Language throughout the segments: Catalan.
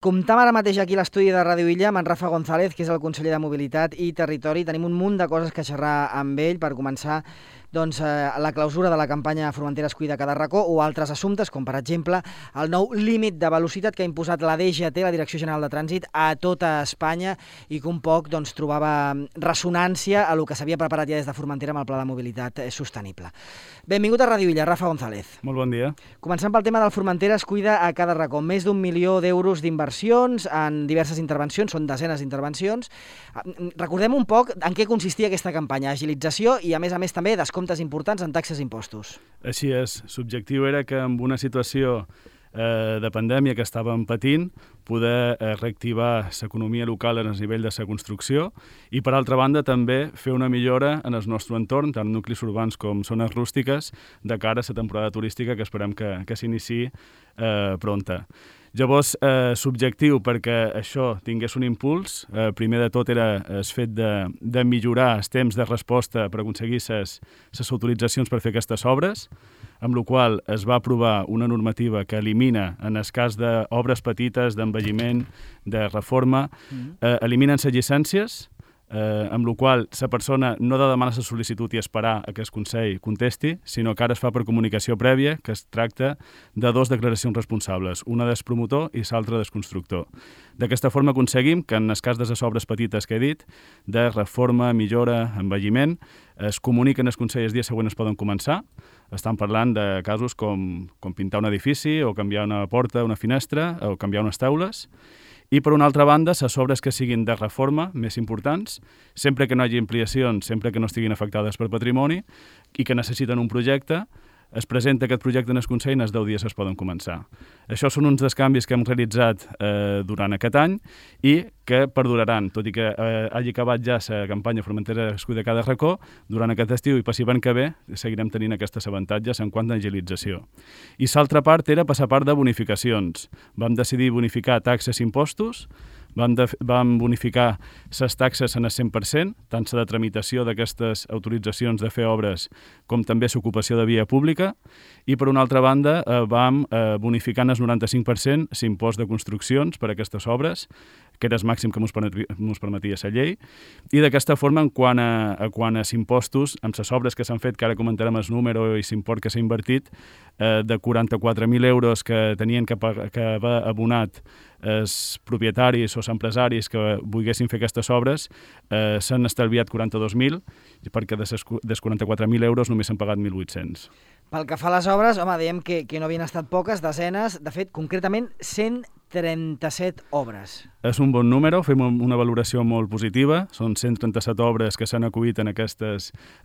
Comptam ara mateix aquí a l'estudi de Ràdio Illa amb en Rafa González, que és el conseller de Mobilitat i Territori. Tenim un munt de coses que xerrar amb ell per començar la clausura de la campanya Formenteres Cuida cada racó o altres assumptes, com per exemple el nou límit de velocitat que ha imposat la DGT, la Direcció General de Trànsit, a tota Espanya i que un poc trobava ressonància a el que s'havia preparat ja des de Formentera amb el Pla de Mobilitat Sostenible. Benvingut a Ràdio Illa, Rafa González. Molt bon dia. Començant pel tema del Formenteres Cuida a cada racó. Més d'1 milió d'euros d'inversions en diverses intervencions, són desenes d'intervencions. Recordem un poc en què consistia aquesta campanya, agilització i a més també descomptes importants en taxes i impostos. Així és. L'objectiu era que amb una situació de pandèmia que estàvem patint, poder reactivar l'economia local en el nivell de la construcció i, per altra banda, també fer una millora en el nostre entorn, tant nuclis urbans com zones rústiques, de cara a la temporada turística que esperem que s'iniciï pronta. Llavors, l'objectiu perquè això tingués un impuls, primer de tot era el fet de millorar els temps de resposta per aconseguir les autoritzacions per fer aquestes obres, amb la qual es va aprovar una normativa que elimina, en el cas d'obres petites, d'envelliment, de reforma, eliminen les llicències, amb la qual la persona no ha de demanar la sol·licitud i esperar a que el Consell contesti, sinó que ara es fa per comunicació prèvia, que es tracta de dues declaracions responsables, una del promotor i l'altra del constructor. D'aquesta forma aconseguim que en el cas de les obres petites que he dit, de reforma, millora, envelliment, es comuniquen al Consell el dia següent es poden començar. Estan parlant de casos com pintar un edifici o canviar una porta, una finestra o canviar unes taules. I, per una altra banda, les obres que siguin de reforma més importants, sempre que no hi hagi ampliacions, sempre que no estiguin afectades per patrimoni i que necessiten un projecte, es presenta aquest projecte en el Consell i en els 10 dies es poden començar. Això són uns dels canvis que hem realitzat durant aquest any i que perduraran, tot i que hagi acabat ja la campanya Formenteres Cuida cada racó, durant aquest estiu i possiblement que ve seguirem tenint aquests avantatges en quant a agilització. I l'altra part era passar part de bonificacions. Vam decidir bonificar taxes i impostos, vam bonificar les taxes en el 100%, tant la de tramitació d'aquestes autoritzacions de fer obres com també l'ocupació de via pública, i per una altra banda vam bonificar en el 95% l'impost de construccions per a aquestes obres, que era el màxim que ens permetia la llei, i d'aquesta forma, en quant als impostos, amb les obres que s'han fet, que ara comentarem el número i l'import que s'ha invertit, de 44.000 euros que tenien que haver abonat els propietaris o els empresaris que volguessin fer aquestes obres, s'han estalviat 42.000, perquè dels 44.000 euros només s'han pagat 1.800. Pel que fa a les obres, home, dèiem que no havien estat poques, desenes, de fet, concretament 137 obres. És un bon número, fem una valoració molt positiva, són 137 obres que s'han acollit en aquesta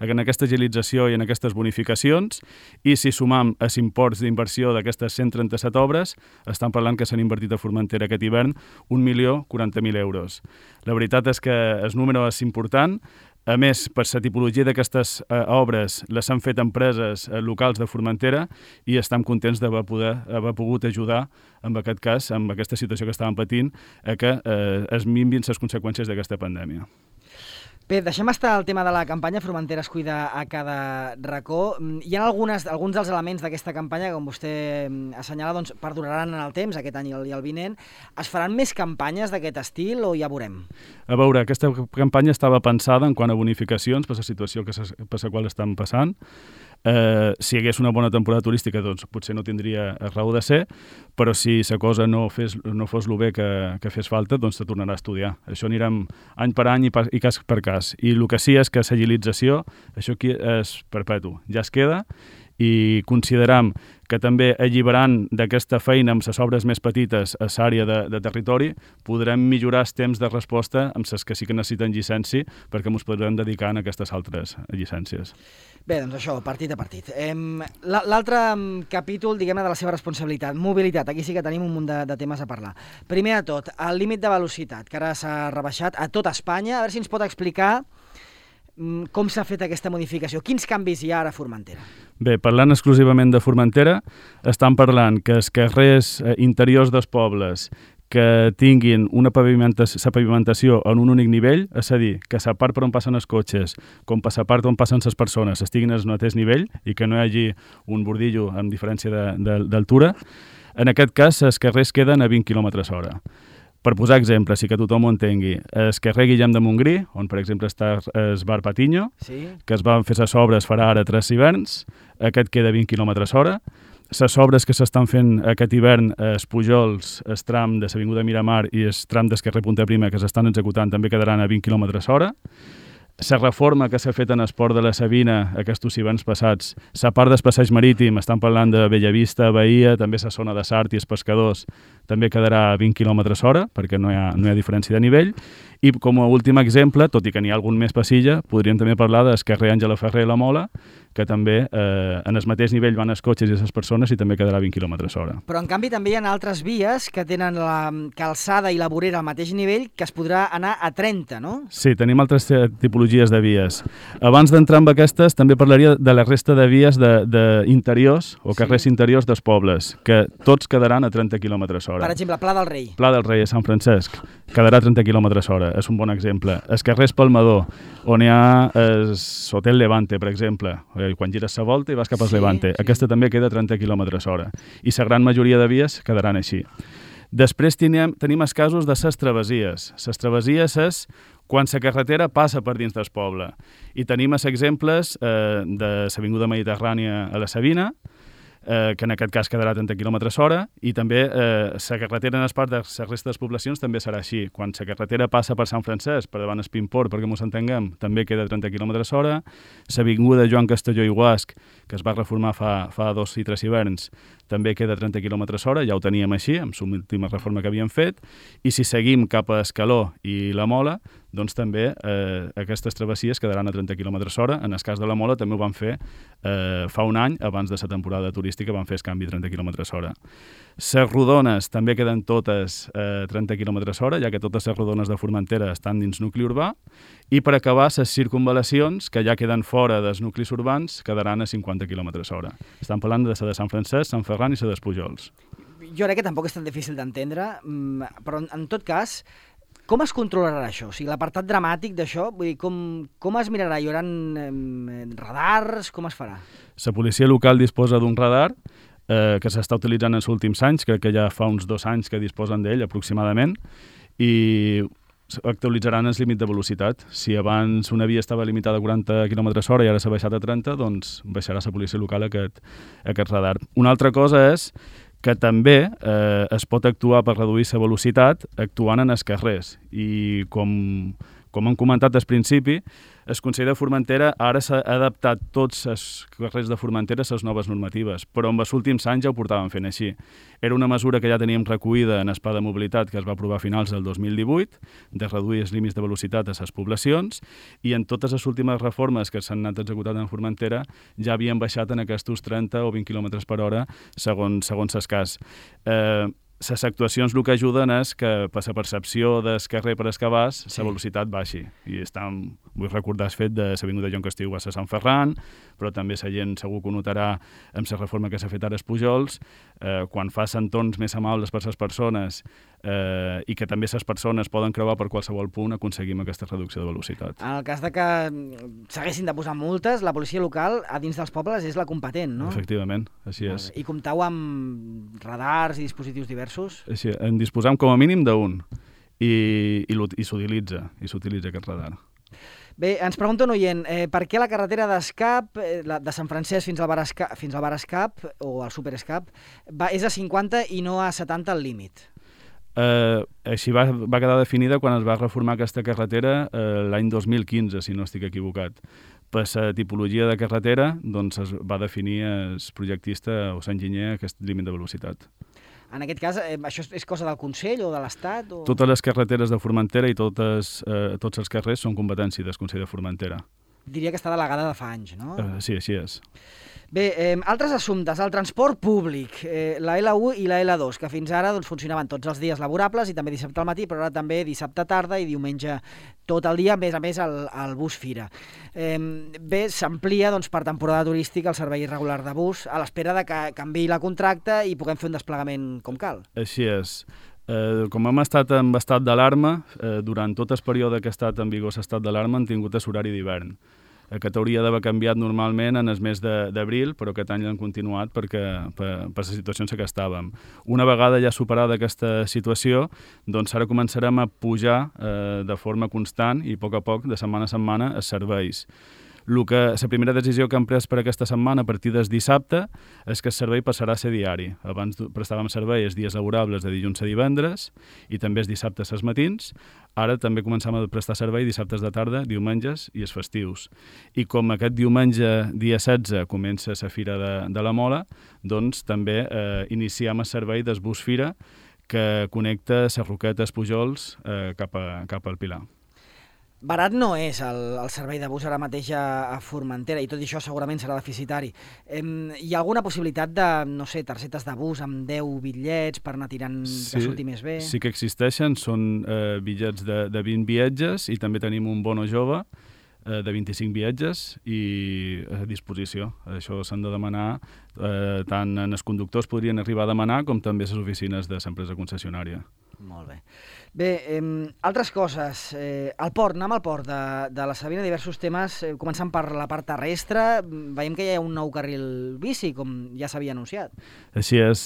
agilització i en aquestes bonificacions, i si sumam els imports d'inversió d'aquestes 137 obres, estan parlant que s'han invertit a Formentera aquest hivern 1.040.000 euros. La veritat és que el número és important. A més, per la tipologia d'aquestes obres les han fet empreses locals de Formentera i estem contents d'haver pogut ajudar, en aquest cas, amb aquesta situació que estàvem patint, a que es minvin les conseqüències d'aquesta pandèmia. Bé, deixem estar el tema de la campanya Formenteres Cuida a cada racó. Hi ha alguns dels elements d'aquesta campanya, com vostè assenyala, perduraran en el temps, aquest any i el vinent. Es faran més campanyes d'aquest estil o ja veurem? A veure, aquesta campanya estava pensada en quant a bonificacions per la situació per la qual estan passant. Si hi hagués una bona temporada turística, doncs potser no tindria raó de ser, però si la cosa no fos el bé que fes falta, doncs se tornarà a estudiar. Això anirem any per any i cas per cas. I el que sí és que l'agilització, això aquí és perpetu, ja es queda, i consideram que també alliberant d'aquesta feina amb les obres més petites a l'àrea de territori podrem millorar els temps de resposta amb les que sí que necessiten llicència perquè ens podrem dedicar a aquestes altres llicències. Bé, doncs això, partit a partit. L'altre capítol, diguem-ne, de la seva responsabilitat, mobilitat. Aquí sí que tenim un munt de temes a parlar. Primer de tot, el límit de velocitat, que ara s'ha rebaixat a tot Espanya. A veure si ens pot explicar com s'ha fet aquesta modificació. Quins canvis hi ha ara a Formentera? Bé, parlant exclusivament de Formentera, estan parlant que els carrers interiors dels pobles que tinguin la pavimentació en un únic nivell, és a dir, que la part per on passen els cotxes com la part on passen les persones estiguin al mateix nivell i que no hi hagi un bordillo amb diferència d'altura. En aquest cas, els carrers queden a 20 km/h. Per posar exemples, i que tothom ho entengui, el carrer Guillem de Montgrí, on per exemple està el bar Patiño, que es van fer les obres farà ara 3 hiverns, aquest queda a 20 km/h. Les obres que s'estan fent aquest hivern, els Pujols, el tram de l'Avinguda Miramar i el tram del carrer Punta Prima que s'estan executant també quedaran a 20 km/h. La reforma que s'ha fet en el port de la Sabina aquests hiverns passats, la part del passeig marítim, estan parlant de Bellavista, Bahia, també la zona de Sart i els pescadors, també quedarà a 20 km/h, perquè no hi ha diferència de nivell. I com a últim exemple, tot i que n'hi ha algun més passilla, podríem també parlar del carrer Àngela Ferrer i la Mola, que també en el mateix nivell van els cotxes i les persones i també quedarà a 20 km/h. Però en canvi també hi ha altres vies que tenen la calçada i la vorera al mateix nivell que es podrà anar a 30, no? Sí, tenim altres tipologies de vies. Abans d'entrar en aquestes també parlaria de la resta de vies d'interiors o carrers interiors dels pobles, que tots quedaran a 30 km/h. Per exemple, Pla del Rei. Pla del Rei a Sant Francesc quedarà a 30 km/h, és un bon exemple. Els carrers Palmador, on hi ha l'Hotel Levante, per exemple, quan gires la volta i vas cap al Levante. Aquesta també queda a 30 km/h. I la gran majoria de vies quedaran així. Després tenim els casos de les travessies. Les travessies és quan la carretera passa per dins del poble. I tenim els exemples de l'Avinguda Mediterrània a la Sabina, que en aquest cas quedarà a 30 km/h, i també la carretera en el part de les restes de les poblacions també serà així. Quan la carretera passa per Sant Francesc, per davant Espimport, perquè ens entenguem, també queda a 30 km/h. L'Avinguda Joan Castelló i Guasc, que es va reformar fa 2 i 3 hiverns, també queda a 30 km/h, ja ho teníem així, amb l'última reforma que havíem fet, i si seguim cap a Escaló i la Mola, doncs també aquestes travessies quedaran a 30 km/h. En el cas de la Mola també ho van fer fa un any, abans de la temporada turística, van fer el canvi a 30 km/h. Les rodones també queden totes a 30 km/h, ja que totes les rodones de Formentera estan dins nucli urbà, i per acabar, les circunvalacions, que ja queden fora dels nuclis urbans, quedaran a 50 km/h. Estan parlant de la de Sant Francesc, Sant Ferran i la dels Pujols. Jo crec que tampoc és tan difícil d'entendre, però en tot cas, com es controlarà això? O sigui, l'apartat dramàtic d'això, vull dir, com es mirarà? Hi haurà radars? Com es farà? La policia local disposa d'un radar que s'està utilitzant en els últims anys, crec que ja fa uns 2 anys que disposen d'ell aproximadament, i actualitzaran el límit de velocitat. Si abans una via estava limitada a 40 km/h i ara s'ha baixat a 30, doncs baixarà la policia local aquest radar. Una altra cosa és que també es pot actuar per reduir la velocitat actuant en els carrers. I com hem comentat al principi, el Consell de Formentera ara s'ha adaptat tots els carrers de Formentera a les noves normatives, però en els últims anys ja ho portaven fent així. Era una mesura que ja teníem recollida en el Pla de Mobilitat que es va aprovar a finals del 2018, de reduir els límits de velocitat a les poblacions, i en totes les últimes reformes que s'han anat executant en Formentera ja havien baixat en aquests 30 o 20 km/h segons el cas. Les actuacions el que ajuden és que per la percepció del carrer per Escabàs la velocitat baixi. I vull recordar el fet de l'Avinguda Joan Castelló a Sant Ferran, però també la gent segur que ho notarà amb la reforma que s'ha fet ara als Pujols, quan fa entorns més amables per les persones i que també les persones poden creuar per qualsevol punt, aconseguim aquesta reducció de velocitat. En el cas de que s'haguessin de posar multes, la policia local a dins dels pobles és la competent, no? Efectivament, així és. I comptau amb radars i dispositius diversos? Així, en disposam com a mínim d'un i s'utilitza aquest radar. Bé, ens pregunta un oient, per què la carretera d'Escap, de Sant Francesc fins al bar Escap, o al Super Escap, és a 50 i no a 70 al límit? Així va quedar definida quan es va reformar aquesta carretera l'any 2015, si no estic equivocat. Per la tipologia de carretera doncs es va definir el projectista o l'enginyer aquest límit de velocitat. En aquest cas, això és cosa del Consell o de l'Estat? Totes les carreteres de Formentera i tots els carrers són competència del Consell de Formentera. Diria que està delegada de fa anys, no? Sí, així és. Bé, altres assumptes, el transport públic, la L1 i la L2, que fins ara funcionaven tots els dies laborables i també dissabte al matí, però ara també dissabte tarda i diumenge tot el dia, a més el bus Fira. Bé, s'amplia per temporada turística el servei regular de bus a l'espera de que canviï la contracta i puguem fer un desplegament com cal. Així és. Com hem estat en estat d'alarma, durant tot el període que ha estat en vigor l'estat d'alarma hem tingut horari d'hivern. Aquest hauria d'haver canviat normalment en el mes d'abril, però aquest any l'han continuat per la situació en què estàvem. Una vegada ja superada aquesta situació, doncs ara començarem a pujar de forma constant i a poc, de setmana a setmana, els serveis. La primera decisió que hem pres per aquesta setmana, a partir del dissabte, és que el servei passarà a ser diari. Abans prestàvem servei els dies laborables de dilluns a divendres i també els dissabtes als matins. Ara també començam a prestar servei dissabtes de tarda, diumenges i els festius. I com aquest diumenge, dia 16, comença la Fira de la Mola, doncs també iniciem el servei del bus Fira que connecta les Roquetes Pujols cap al Pilar. Barat no és el servei de bus ara mateix a Formentera i tot això segurament serà deficitari. Hi ha alguna possibilitat de, no sé, targetes de bus amb 10 bitllets per anar tirant que surti més bé? Sí que existeixen, són bitllets de 20 viatges i també tenim un bono jove de 25 viatges i a disposició. Això s'han de demanar, tant els conductors podrien arribar a demanar com també les oficines de l'empresa concessionària. Molt bé. Bé, altres coses. El port, anem al port de la Sabina, diversos temes, començant per la part terrestre. Veiem que hi ha un nou carril bici, com ja s'havia anunciat. Així és.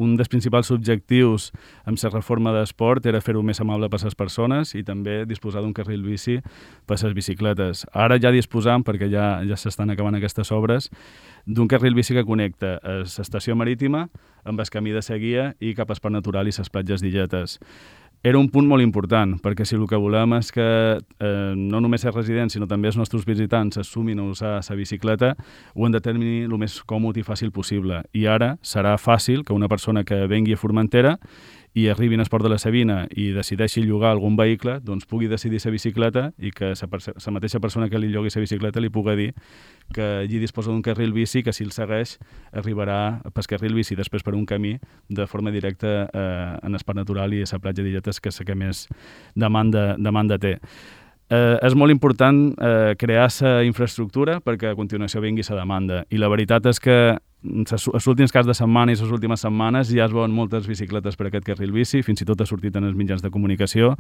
Un dels principals objectius amb la reforma d'esport era fer-ho més amable per les persones i també disposar d'un carril bici per les bicicletes. Ara ja disposam, perquè ja s'estan acabant aquestes obres, d'un carril bici que connecta l'estació marítima amb el camí de Seguia i cap al Parc Natural i les platges d'Illetes. Era un punt molt important, perquè si el que volem és que no només els residents, sinó també els nostres visitants es sumin a usar la bicicleta, ho hem de tenir el més còmode i fàcil possible. I ara serà fàcil que una persona que vengui a Formentera i arribi al port de la Sabina i decideixi llogar algun vehicle, doncs pugui decidir la bicicleta i que la mateixa persona que li llogui la bicicleta li pugui dir que allí disposa d'un carril bici que si el segueix arribarà pel carril bici després per un camí de forma directa en el Parc Natural i a la platja d'Illetes, que és la que més demanda té. És molt important crear la infraestructura perquè a continuació vingui la demanda. I la veritat és que els últims caps de setmana i les últimes setmanes ja es veuen moltes bicicletes per aquest carril bici, fins i tot ha sortit en els mitjans de comunicació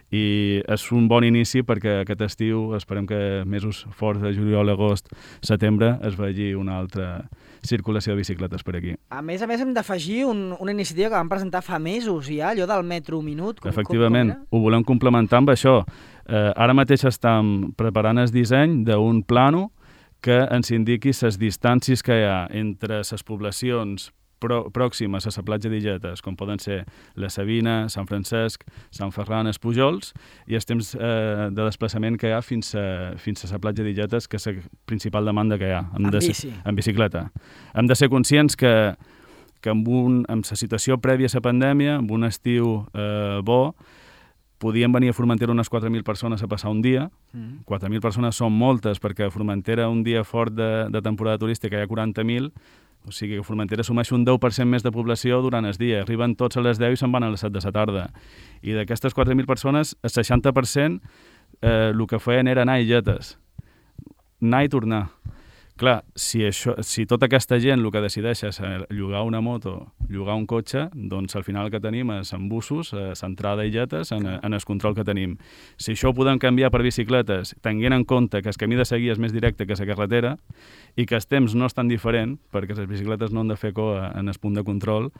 i és un bon inici perquè aquest estiu esperem que mesos forts de juliol, agost, setembre es vegi una altra circulació de bicicletes per aquí. A més hem d'afegir una iniciativa que vam presentar fa mesos ja, allò del metro minut. Efectivament, ho volem complementar amb això. Ara mateix estem preparant el disseny d'un plànol que ens indiqui les distàncies que hi ha entre les poblacions pròximes a la platja d'Illetes, com poden ser la Sabina, Sant Francesc, Sant Ferran, els Pujols, i els temps de desplaçament que hi ha fins a la platja d'Illetes, que és la principal demanda que hi ha. En bicicleta. Hem de ser conscients que amb la situació prèvia a la pandèmia, amb un estiu bo, podien venir a Formentera unes 4.000 persones a passar un dia. 4.000 persones són moltes, perquè a Formentera un dia fort de temporada turística hi ha 40.000, o sigui que a Formentera assumeix un 10% més de població durant el dia. Arriben tots a les 10 i se'n van a les 7 de la tarda. I d'aquestes 4.000 persones, el 60% el que feien era anar a Illetes. Anar i tornar. Clar, si tota aquesta gent el que decideix és llogar una moto, llogar un cotxe, doncs al final el que tenim és en busos, centrada a Illetes, en el control que tenim. Si això ho podem canviar per bicicletes, tenint en compte que el camí de Seguia és més directe que la carretera i que els temps no és tan diferent, perquè les bicicletes no han de fer cua en el punt de control,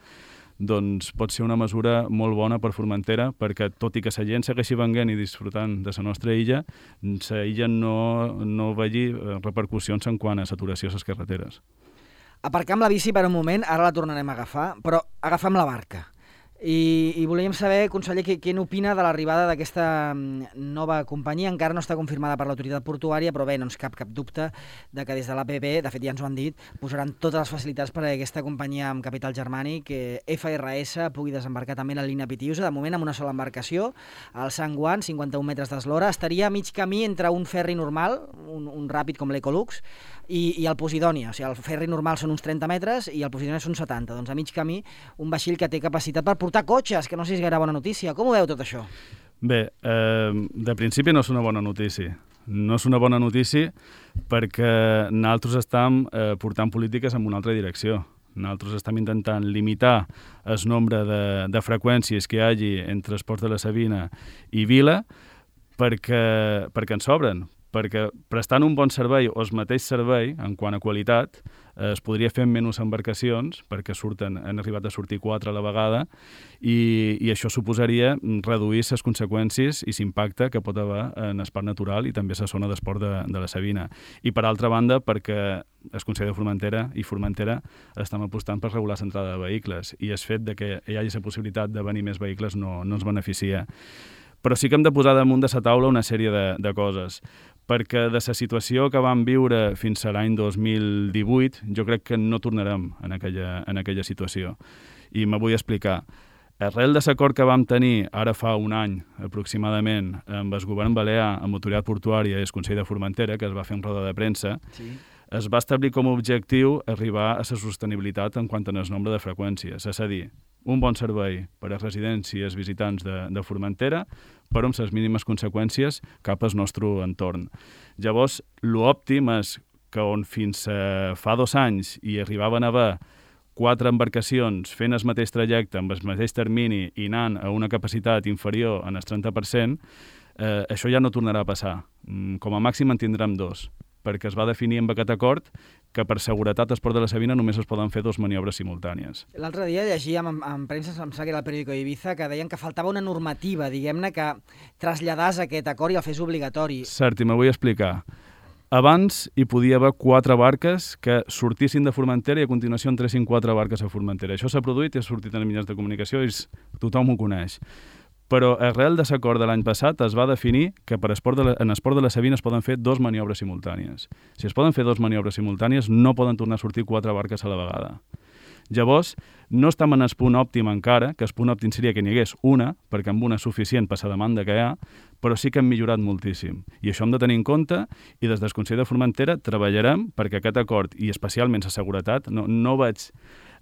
doncs pot ser una mesura molt bona per Formentera, perquè tot i que la gent segueixi venint i disfrutant de la nostra illa, la illa no vegi repercussions en quant a saturació a les carreteres. Aparcam la bici per un moment, ara la tornarem a agafar, però agafam la barca. I volíem saber, conseller, què n'opina de l'arribada d'aquesta nova companyia. Encara no està confirmada per l'autoritat portuària, però bé, no ens cap dubte de que des de l'APP, de fet ja ens ho han dit, posaran totes les facilitats perquè aquesta companyia amb capital germànic, FRS, pugui desembarcar també en la línia Pitiusa, de moment amb una sola embarcació, al Sant Guan, 51 metres d'eslora, estaria a mig camí entre un ferri normal, un ràpid com l'Ecolux, i el Posidònia. O sigui, el ferri normal són uns 30 metres i el Posidònia són 70. Doncs a mig camí, un vaixell que té capacitat per portar cotxes, que no sé si és gaire bona notícia. Com ho veu tot això? Bé, de principi no és una bona notícia. No és una bona notícia perquè nosaltres estem portant polítiques en una altra direcció. Nosaltres estem intentant limitar el nombre de freqüències que hi hagi entre els ports de la Sabina i Vila perquè ens sobren, perquè prestant un bon servei o el mateix servei, en quant a qualitat, es podria fer amb menys embarcacions, perquè han arribat a sortir 4 a la vegada, i això suposaria reduir les conseqüències i l'impacte que pot haver en el parc natural i també la zona d'esport de la Sabina. I per altra banda, perquè el Consell de Formentera i Formentera estem apostant per regular l'entrada de vehicles, i el fet de que hi hagi la possibilitat de venir més vehicles no ens beneficia. Però sí que hem de posar damunt de la taula una sèrie de coses, perquè de la situació que vam viure fins a l'any 2018 jo crec que no tornarem en aquella situació. I me vull explicar. Arrel de l'acord que vam tenir ara fa un any aproximadament amb el govern balear, amb l'autoritat portuària i el Consell de Formentera, que es va fer en roda de premsa, es va establir com a objectiu arribar a la sostenibilitat en quant al nombre de freqüències, és a dir, un bon servei per a residents i els visitants de Formentera, però amb les mínimes conseqüències cap al nostre entorn. Llavors, l'òptim és que on fins fa 2 anys hi arribaven a haver 4 embarcacions fent el mateix trajecte amb el mateix termini i anant a una capacitat inferior en el 30%, això ja no tornarà a passar. Com a màxim en tindrem 2, perquè es va definir amb aquest acord que per seguretat al Port de la Sabina només es poden fer 2 maniobres simultànies. L'altre dia llegíem en premsa, em sembla que era el periòdico Ibiza, que deien que faltava una normativa, diguem-ne, que traslladàs aquest acord i el fes obligatori. Cert, i me vull explicar. Abans hi podia haver 4 barques que sortissin de Formentera i a continuació entressin 4 barques a Formentera. Això s'ha produït i ha sortit en els mitjans de comunicació i tothom ho coneix. Però arrel de l'acord de l'any passat es va definir que en esport de la Sabina es poden fer 2 maniobres simultànies. Si es poden fer 2 maniobres simultànies, no poden tornar a sortir 4 barques a la vegada. Llavors, no estem en el punt òptim encara, que el punt òptim seria que n'hi hagués una, perquè amb una és suficient per la demanda que hi ha, però sí que hem millorat moltíssim. I això hem de tenir en compte, i des del Consell de Formentera treballarem perquè aquest acord, i especialment la seguretat, no veig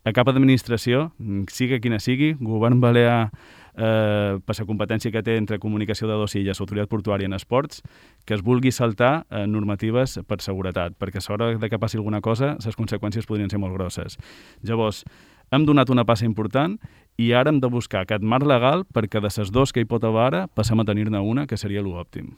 a cap administració, sigui quina sigui, govern balear, per la competència que té entre comunicació de 2 illes, autoritat portuària en esports, que es vulgui saltar normatives per seguretat, perquè a l'hora que passi alguna cosa, les conseqüències podrien ser molt grosses. Llavors, hem donat una passa important i ara hem de buscar aquest marc legal perquè de les 2 que hi pot haver ara passem a tenir-ne una, que seria l'òptim.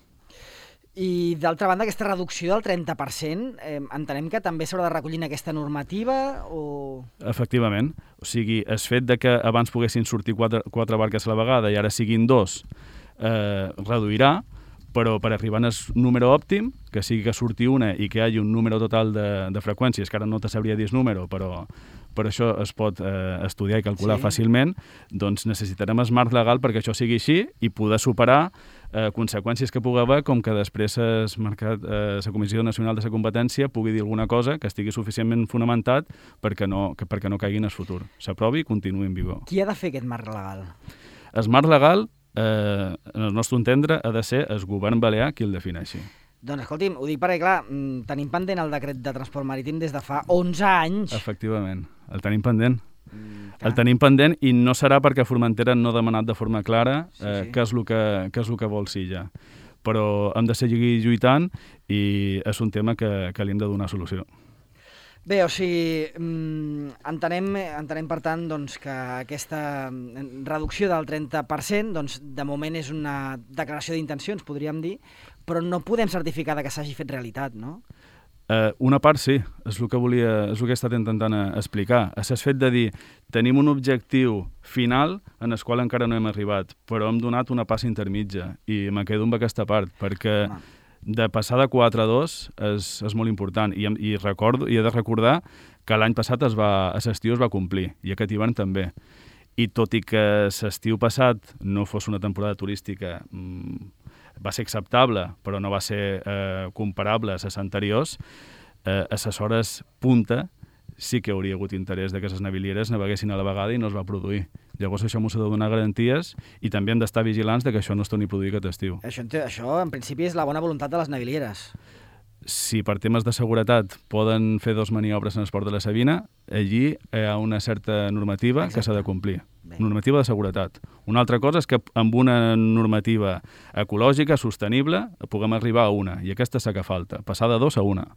I, d'altra banda, aquesta reducció del 30%, entenem que també s'haurà de recollir en aquesta normativa o...? Efectivament. O sigui, el fet de que abans poguessin sortir 4 barques a la vegada i ara siguin 2 reduirà, però per arribar al número òptim, que sigui que surti una i que hi hagi un número total de freqüències, que ara no te sabria dir el número, però això es pot estudiar i calcular fàcilment, doncs necessitarem el marc legal perquè això sigui així i poder superar conseqüències que pugui haver, com que després la Comissió Nacional de la Competència pugui dir alguna cosa que estigui suficientment fonamentat perquè no caigui en el futur. S'aprovi i continuï en vigor. Qui ha de fer aquest marc legal? El marc legal, en el nostre entendre, ha de ser el govern balear qui el defineixi. Doncs escolti'm, ho dic perquè, clar, tenim pendent el decret de transport marítim des de fa 11 anys. Efectivament, el tenim pendent. El tenim pendent i no serà perquè Formentera no ha demanat de forma clara què és el que vol Silla. Però hem de seguir lluitant i és un tema que li hem de donar solució. Bé, o sigui, entenem per tant doncs, que aquesta reducció del 30% doncs, de moment és una declaració d'intencions, podríem dir, però no podem certificar que s'hagi fet realitat, no? Una part sí, és el que he estat intentant explicar. És el fet de dir, tenim un objectiu final en el qual encara no hem arribat, però hem donat una passa intermitja i me quedo amb aquesta part, perquè de passar de 4 a 2 és molt important i he de recordar que l'any passat a l'estiu es va complir i aquest hivern també. I tot i que l'estiu passat no fos una temporada turística va ser acceptable, però no va ser comparable a les anteriors, a les hores punta sí que hauria hagut interès que les navilieres naveguessin a la vegada i no es va produir. Llavors això m'ho s'ha de donar garanties i també hem d'estar vigilants que això no es torni a produir aquest estiu. Això, en principi, és la bona voluntat de les navilieres. Si per temes de seguretat poden fer 2 maniobres en el port de la Sabina, allí hi ha una certa normativa que s'ha de complir. Normativa de seguretat. Una altra cosa és que amb una normativa ecològica, sostenible, puguem arribar a una, i aquesta és la que falta, passar de 2 a 1.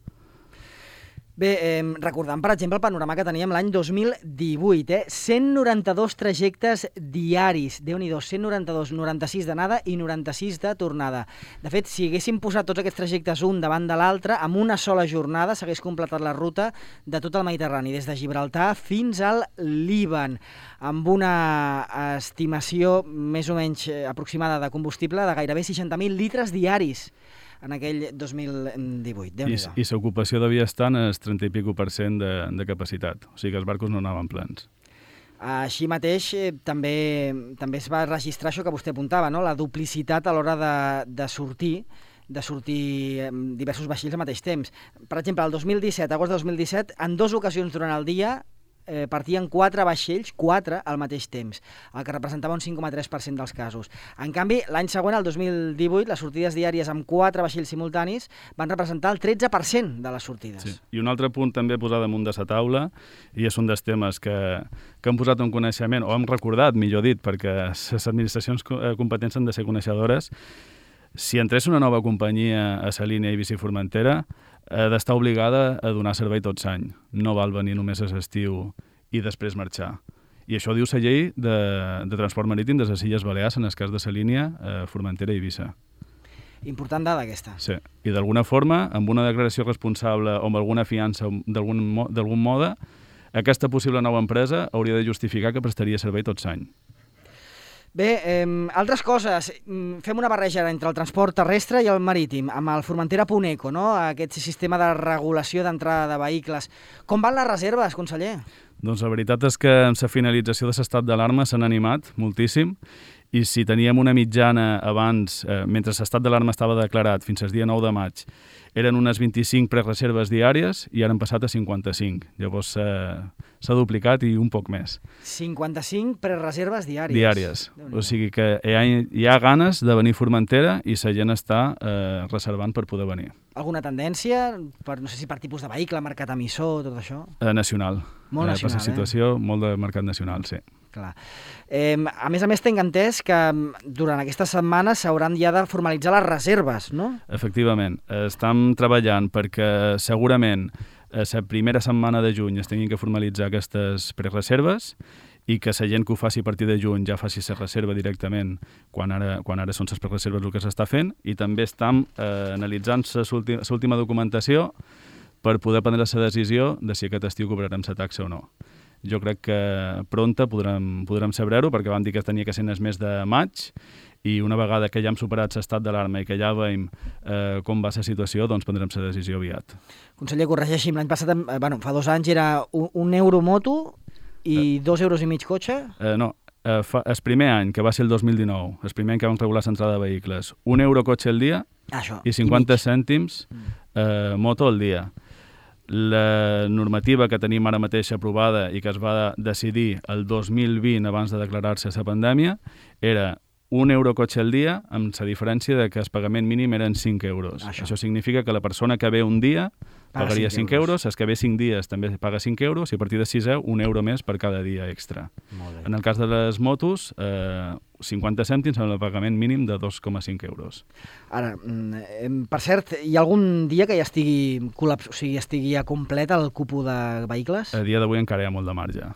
Bé, recordant, per exemple, el panorama que teníem l'any 2018, 192 trajectes diaris, Déu-n'hi-do, 192, 96 d'anada i 96 de tornada. De fet, si haguéssim posat tots aquests trajectes un davant de l'altre, amb una sola jornada s'hagués completat la ruta de tot el Mediterrani, des de Gibraltar fins al Líban, amb una estimació més o menys aproximada de combustible de gairebé 60.000 litres diaris en aquell 2018. Déu-n'hi-do. I l'ocupació devia estar en el 30 i pico % de capacitat, o sigui que els barcos no anaven plens. Així mateix, també es va registrar això que vostè apuntava, no? La duplicitat a l'hora de sortir diversos vaixells al mateix temps. Per exemple, el 2017, agost de 2017, en 2 ocasions durant el dia partien 4 vaixells, 4 al mateix temps, el que representava un 5,3% dels casos. En canvi, l'any següent, el 2018, les sortides diàries amb 4 vaixells simultanis van representar el 13% de les sortides. Sí. I un altre punt també a posar damunt de la taula, i és un dels temes que hem posat en coneixement, o hem recordat, millor dit, perquè les administracions competents han de ser coneixedores. Si entrés una nova companyia a la línia Eivissa-Formentera, ha d'estar obligada a donar servei tot l'any. No val venir només a l'estiu i després marxar. I això diu la llei de transport marítim de les Illes Balears, en el cas de la línia Formentera-Eivissa. Important dada aquesta. Sí, i d'alguna forma, amb una declaració responsable o amb alguna fiança d'algun mode, aquesta possible nova empresa hauria de justificar que prestaria servei tot l'any. Bé, altres coses. Fem una barreja entre el transport terrestre i el marítim, amb el Formentera.eco, no? Aquest sistema de regulació d'entrada de vehicles. Com van les reserves, conseller? Doncs la veritat és que amb la finalització de l'estat d'alarma s'han animat moltíssim, i si teníem una mitjana abans, mentre l'estat d'alarma estava declarat fins al dia 9 de maig, eren unes 25 prereserves diàries i ara han passat a 55. Llavors s'ha duplicat i un poc més. 55 prereserves diàries. Diàries. O sigui que hi ha ganes de venir a Formentera i la gent està reservant per poder venir. Alguna tendència? No sé si per tipus de vehicle, mercat emissor, tot això? Nacional. Molt nacional, per la situació, molt de mercat nacional, sí. Clar. A més, tinc entès que durant aquesta setmana s'hauran ja de formalitzar les reserves, no? Efectivament. Estem treballant perquè segurament la primera setmana de juny es tinguin que formalitzar aquestes prereserves i que la gent que ho faci a partir de juny ja faci la reserva directament quan ara són les prereserves el que s'està fent, i també estem analitzant l'última documentació per poder prendre la decisió de si aquest estiu cobrarem la taxa o no. Jo crec que pronta podrem saber-ho, perquè vam dir que tenia que ser el mes de maig, i una vegada que ja hem superat l'estat d'alarma i que ja veiem com va la situació, doncs prendrem la decisió aviat. Conseller, corregeixi'm, l'any passat, fa 2 anys era un euro moto i 2,5 euros cotxe? No, el primer any, que va ser el 2019, el primer any que vam regular l'entrada de vehicles, 1 euro cotxe al dia i 50 cèntims moto al dia. La normativa que tenim ara mateix aprovada i que es va decidir el 2020 abans de declarar-se la pandèmia era 1 euro cotxe al dia, amb la diferència de que el pagament mínim eren 5 euros. Això significa que la persona que ve un dia pagaria 5 euros, els que ve 5 dies també paga 5 euros, i a partir de 6 1 euro més per cada dia extra. En el cas de les motos, 50 cèntims amb el pagament mínim de 2,5 euros. Ara, per cert, hi ha algun dia que ja estigui ja complet el cupo de vehicles? A dia d'avui encara hi ha molt de marge.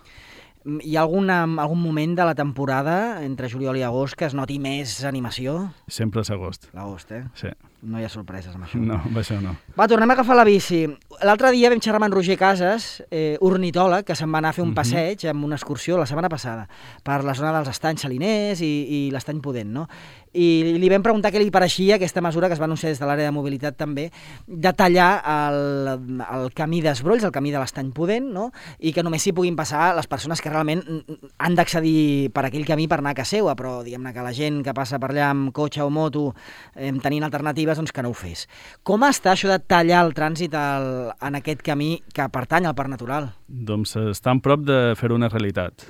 Hi ha algun moment de la temporada, entre juliol i agost, que es noti més animació? Sempre és agost. L'agost, Sí. No hi ha sorpreses amb això. No, amb això no. Va, tornem a agafar la bici. L'altre dia vam xerrar amb en Roger Casas, ornitòleg, que se'n va anar a fer un passeig amb una excursió la setmana passada per la zona dels estanys Saliners i l'estany Pudent, no? I li vam preguntar què li pareixia aquesta mesura que es va anunciar des de l'àrea de mobilitat també, de tallar el camí d'Esbrolls, el camí de l'estany Pudent, no? I que només s'hi puguin passar les persones que realment han d'accedir per aquell camí per anar a casa seva, però diguem-ne que la gent que passa per allà amb cotxe o moto tenint alternatives, doncs que no ho fes. Com està això de tallar el trànsit en aquest camí que pertany al Parc Natural? Doncs està en prop de fer-ho una realitat,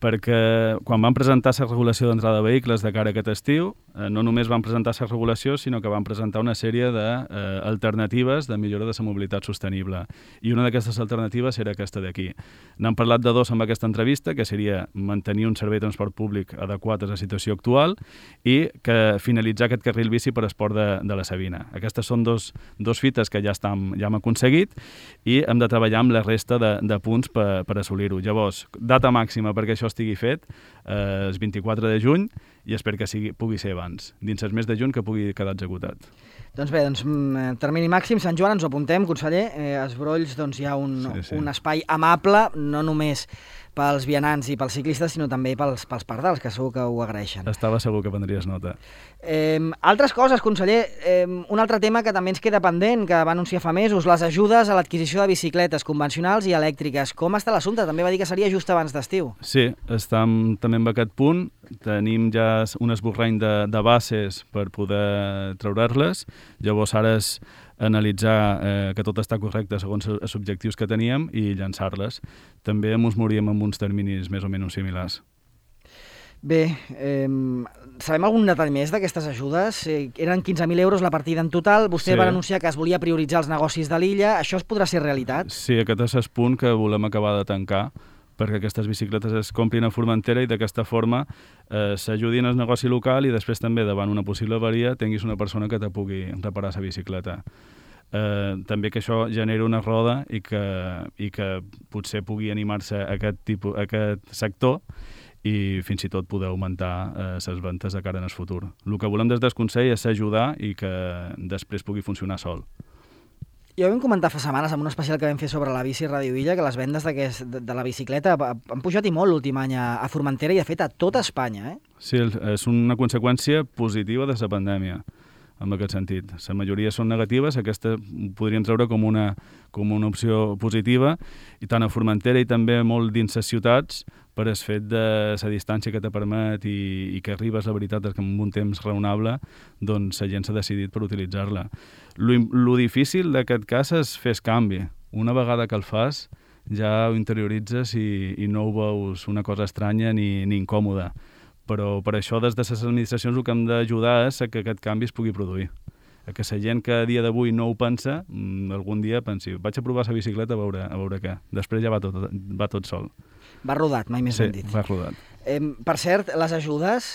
perquè quan vam presentar la regulació d'entrada de vehicles de cara a aquest estiu, no només van presentar la regulació, sinó que van presentar una sèrie d'alternatives de millora de la mobilitat sostenible. I una d'aquestes alternatives era aquesta d'aquí. N'han parlat de dos amb aquesta entrevista, que seria mantenir un servei de transport públic adequat a la situació actual i que finalitzar aquest carril bici per esport de la Sabina. Aquestes són dos fites que ja hem aconseguit i hem de treballar amb la resta de punts per assolir-ho. Llavors, data màxima perquè això estigui fet, el 24 de juny, i espero que pugui ser abans, dins el mes de juny que pugui quedar executat. Doncs bé, termini màxim, Sant Joan, ens ho apuntem, conseller. A Esbrolls hi ha un espai amable, no només pels vianants i pels ciclistes, sinó també pels pardals, que segur que ho agraeixen. Estava segur que prendries nota. Altres coses, conseller, un altre tema que també ens queda pendent, que va anunciar fa mesos, les ajudes a l'adquisició de bicicletes convencionals i elèctriques. Com està l'assumpte? També va dir que seria just abans d'estiu. Sí, estem també en aquest punt. Tenim ja un esborrany de bases per poder treure-les. Llavors ara és analitzar que tot està correcte segons els objectius que teníem i llançar-les. També ens moríem amb uns terminis més o menys similars. Bé, sabem algun detall més d'aquestes ajudes? Eren 15.000 euros la partida en total. Vostè va anunciar que es volia prioritzar els negocis de l'illa. Això es podrà ser realitat? Sí, aquest és el punt que volem acabar de tancar, perquè aquestes bicicletes es comprin a Formentera i d'aquesta forma s'ajudin al negoci local i després també davant una possible avaria tinguis una persona que te pugui reparar la bicicleta. També que això generi una roda i que potser pugui animar-se a aquest sector i fins i tot poder augmentar les ventes de cara en el futur. El que volem des del Consell és ajudar i que després pugui funcionar sol. Ja ho vam comentar fa setmanes en un especial que vam fer sobre la bici Ràdio Illa, que les vendes de la bicicleta han pujat i molt últim any a Formentera i de fet a tota Espanya. Sí, és una conseqüència positiva de la pandèmia, en aquest sentit. La majoria són negatives, aquesta podríem treure com una opció positiva, i tant a Formentera i també molt dins les ciutats, per el fet de la distància que te permet i que arribes, la veritat, és que en un temps raonable, doncs la gent s'ha decidit per utilitzar-la. Lo difícil d'aquest cas és fer el canvi. Una vegada que el fas, ja ho interioritzes i no ho veus una cosa estranya ni incòmoda. Però per això, des de les administracions, el que hem d'ajudar és que aquest canvi es pugui produir. Que la gent que a dia d'avui no ho pensa, algun dia pensi, vaig a provar la bicicleta a veure què. Després ja va tot sol. Va rodat, mai més ben dit. Sí, va rodat. Per cert, les ajudes,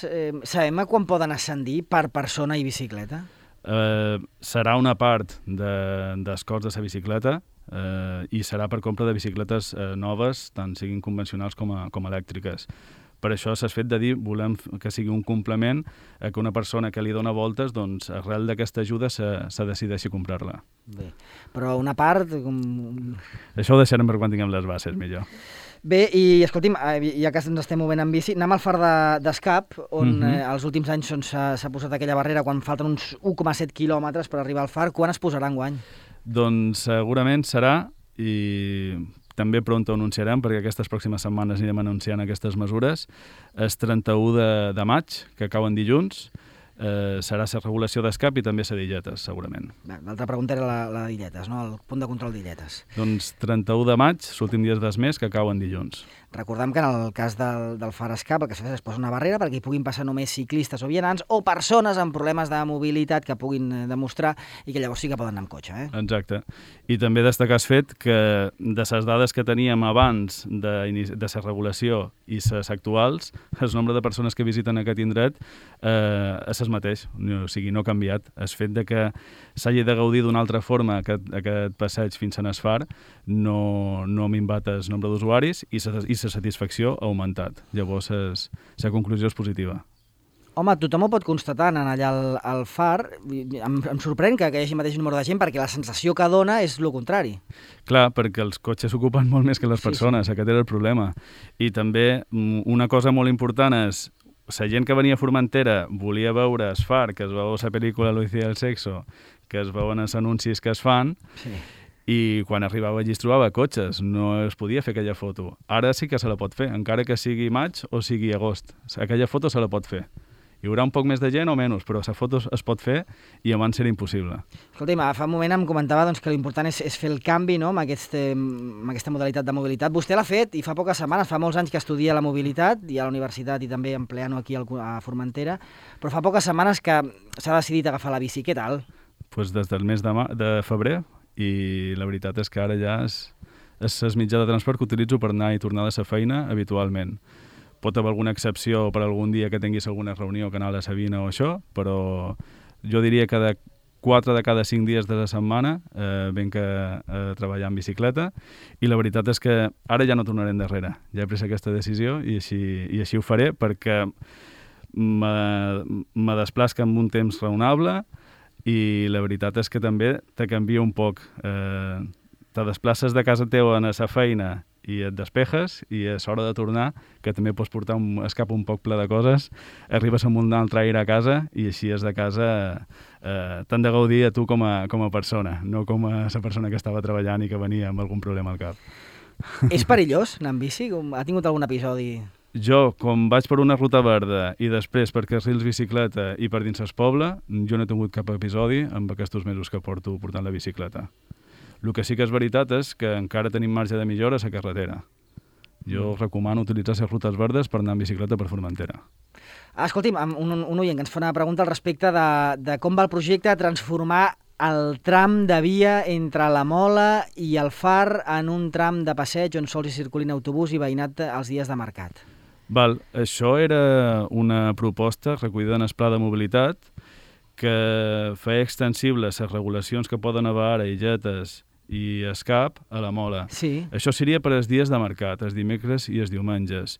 sabem quan poden ascendir per persona i bicicleta? Serà una part dels costs de la bicicleta i serà per compra de bicicletes noves, tant siguin convencionals com elèctriques. Per això s'ha fet de dir, volem que sigui un complement a que una persona que li dona voltes, doncs, arrel d'aquesta ajuda se decideixi comprar-la. Bé, però una part... Això ho deixarem per quan tinguem les bases, millor. Bé, i escolti'm, ja que ens estem movent en bici, anem al far d'Escap, on els últims anys s'ha posat aquella barrera quan falten uns 1,7 quilòmetres per arribar al far. Quan es posarà enguany? Doncs segurament serà, i també pront ho anunciarem, perquè aquestes pròximes setmanes anirem anunciant aquestes mesures. És 31 de maig, que cauen dilluns. Serà la regulació d'Escap i també la d'Illetes, segurament. L'altra pregunta era la d'Illetes, no? El punt de control d'Illetes. Doncs 31 de maig, l'últim dia del mes, que cauen dilluns. Recordem que en el cas del far Escap el que s'ha fet és posar una barrera perquè hi puguin passar només ciclistes o vianants o persones amb problemes de mobilitat que puguin demostrar i que llavors sí que poden anar amb cotxe. Exacte. I també destacar el fet que de les dades que teníem abans de la regulació i les actuals, el nombre de persones que visiten aquest indret és el mateix, o sigui, no ha canviat. El fet de que s'hagi de gaudir d'una altra forma aquest passeig fins a Nesfar no ha minvat el nombre d'usuaris i la satisfacció ha augmentat. Llavors, la conclusió és positiva. Home, tothom ho pot constatar anant allà al far. Em sorprèn que hi hagi el mateix número de gent perquè la sensació que dona és el contrari. Clar, perquè els cotxes ocupen molt més que les persones, aquest era el problema. I també una cosa molt important és la gent que venia a Formentera volia veure el far, que es veu la pel·lícula Lucia del Sexo, que es veuen els anuncis que es fan, i quan arribava allí es trobava cotxes, no es podia fer aquella foto. Ara sí que se la pot fer, encara que sigui maig o sigui agost. Aquella foto se la pot fer. Hi haurà un poc més de gent o menys, però la foto es pot fer i abans era impossible. Escolti'm, fa un moment em comentava que l'important és fer el canvi, no?, amb aquesta modalitat de mobilitat. Vostè l'ha fet i fa poques setmanes, fa molts anys que estudia la mobilitat, i a la universitat i també empleant-ho aquí a Formentera, però fa poques setmanes que s'ha decidit agafar la bici. Què tal? Pues des del mes de febrer, i la veritat és que ara ja és el mitjà de transport que utilitzo per anar i tornar de la feina habitualment. Pot haver alguna excepció per algun dia que tinguis alguna reunió, canal de Sabina o això, però jo diria que de 4 de cada 5 dies de la setmana venc a treballar en bicicleta, i la veritat és que ara ja no tornaré endarrere. Ja he pres aquesta decisió i així ho faré, perquè me desplaço amb un temps raonable, i la veritat és que també te canvia un poc. Te desplaces de casa teva a la feina i et despejes, i és hora de tornar, que també pots portar un escap un poc ple de coses, arribes amb un altre aire a casa, i així és de casa t'han de gaudir a tu com a persona, no com a la persona que estava treballant i que venia amb algun problema al cap. És perillós anar amb bici? Ha tingut algun episodi? Jo, com vaig per una ruta verda i després per carrils bicicleta i per dins el poble, jo no he tingut cap episodi amb aquests mesos que porto portant la bicicleta. El que sí que és veritat és que encara tenim marge de millora a la carretera. Jo recomano utilitzar les rutes verdes per anar en bicicleta per Formentera. Escolti'm, un oient que ens fa una pregunta al respecte de com va el projecte de transformar el tram de via entre la Mola i el Far en un tram de passeig on sols hi circulin autobús i veïnat els dies de mercat. Això era una proposta recollida en el Pla de Mobilitat que feia extensibles les regulacions que poden haver ara i Illetes i Escap a la Mola. Sí. Això seria per als dies de mercat, els dimecres i els diumenges.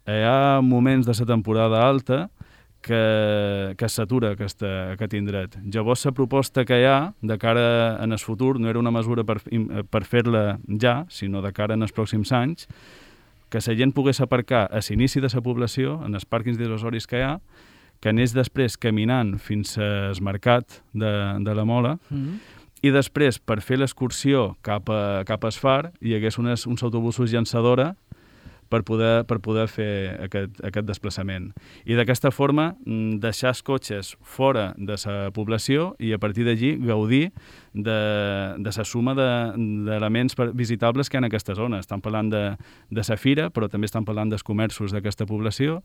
Hi ha moments de la temporada alta que s'atura aquest indret. Llavors, la proposta que hi ha de cara en el futur no era una mesura per fer-la ja, sinó de cara en els pròxims anys, que la gent pogués aparcar a l'inici de la població, en els pàrquings disuasoris que hi ha, que anés després caminant fins al mercat de la Mola, i després, per fer l'excursió cap a Esfar, hi hagués uns autobusos llançadora per poder fer aquest desplaçament. I d'aquesta forma deixar els cotxes fora de la població i a partir d'allí gaudir de la suma d'elements visitables que hi ha en aquesta zona. Estan parlant de la fira, però també estan parlant dels comerços d'aquesta població,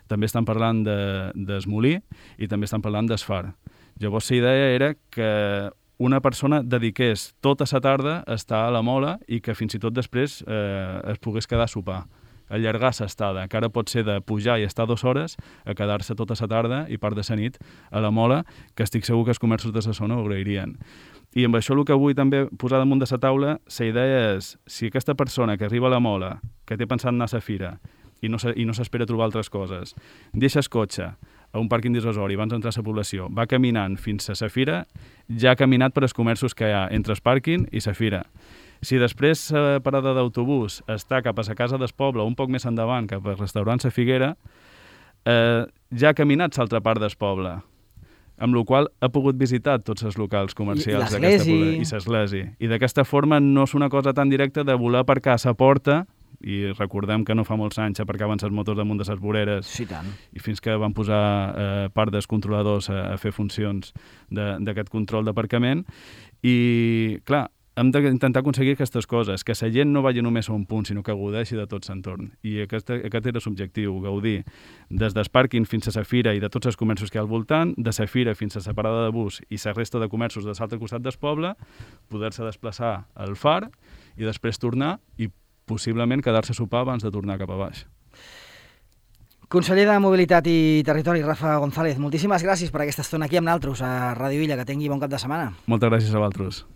també estan parlant del molí i també estan parlant d'Esfar. Llavors la idea era que una persona dediqués tota la tarda a estar a la Mola i que fins i tot després es pogués quedar a sopar, allargar l'estada, que ara pot ser de pujar i estar 2 hores a quedar-se tota la tarda i part de la nit a la Mola, que estic segur que els comerços de la zona ho agrairien. I amb això el que vull també posar damunt de la taula, la idea és, si aquesta persona que arriba a la Mola, que té pensat anar a la fira i no s'espera trobar altres coses, deixa el cotxe a un pàrquing dissuasori abans d'entrar a la població, va caminant fins a la fira, ja ha caminat per als comerços que hi ha entre el pàrquing i la fira. Si després la parada d'autobús està cap a la casa del poble, un poc més endavant, cap al restaurant La Figuera, ja ha caminat l'altra part del poble, amb la qual ha pogut visitar tots els locals comercials d'aquesta població. I l'església. I d'aquesta forma no és una cosa tan directa de voler aparcar a la porta, i recordem que no fa molts anys aparcaven les motos damunt de les voreres, sí, tant. I fins que van posar part dels controladors a fer funcions d'aquest control d'aparcament. I, clar, hem d'intentar aconseguir aquestes coses, que la gent no vagi només a un punt, sinó que gaudeixi de tot l'entorn. I aquest era l'objectiu, gaudir des del pàrquing fins a la fira i de tots els comerços que hi ha al voltant, de la fira fins a la parada de bus i la resta de comerços de l'altre costat del poble, poder-se desplaçar al Far i després tornar i possiblement quedar-se a sopar abans de tornar cap a baix. Conseller de Mobilitat i Territori, Rafa González, moltíssimes gràcies per aquesta estona aquí amb nosaltres a Ràdio Illa. Que tingui bon cap de setmana. Moltes gràcies a vosaltres.